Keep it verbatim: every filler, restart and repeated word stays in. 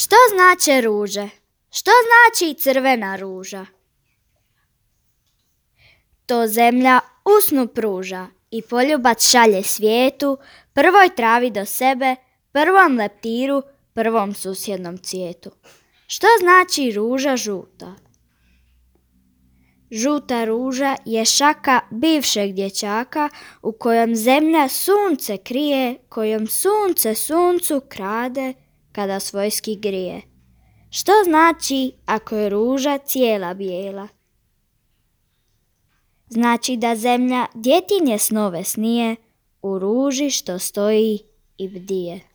Što znače ruže? Što znači crvena ruža? To zemlja usnu pruža i poljubac šalje svijetu, prvoj travi do sebe, prvom leptiru, prvom susjednom cvijetu. Što znači ruža žuta? Žuta ruža je šaka bivšeg dječaka u kojom zemlja sunce krije, kojom sunce suncu krade kada svojski grije. Što znači ako je ruža cijela bijela? Znači da zemlja djetinje snove snije u ruži što stoji i bdije.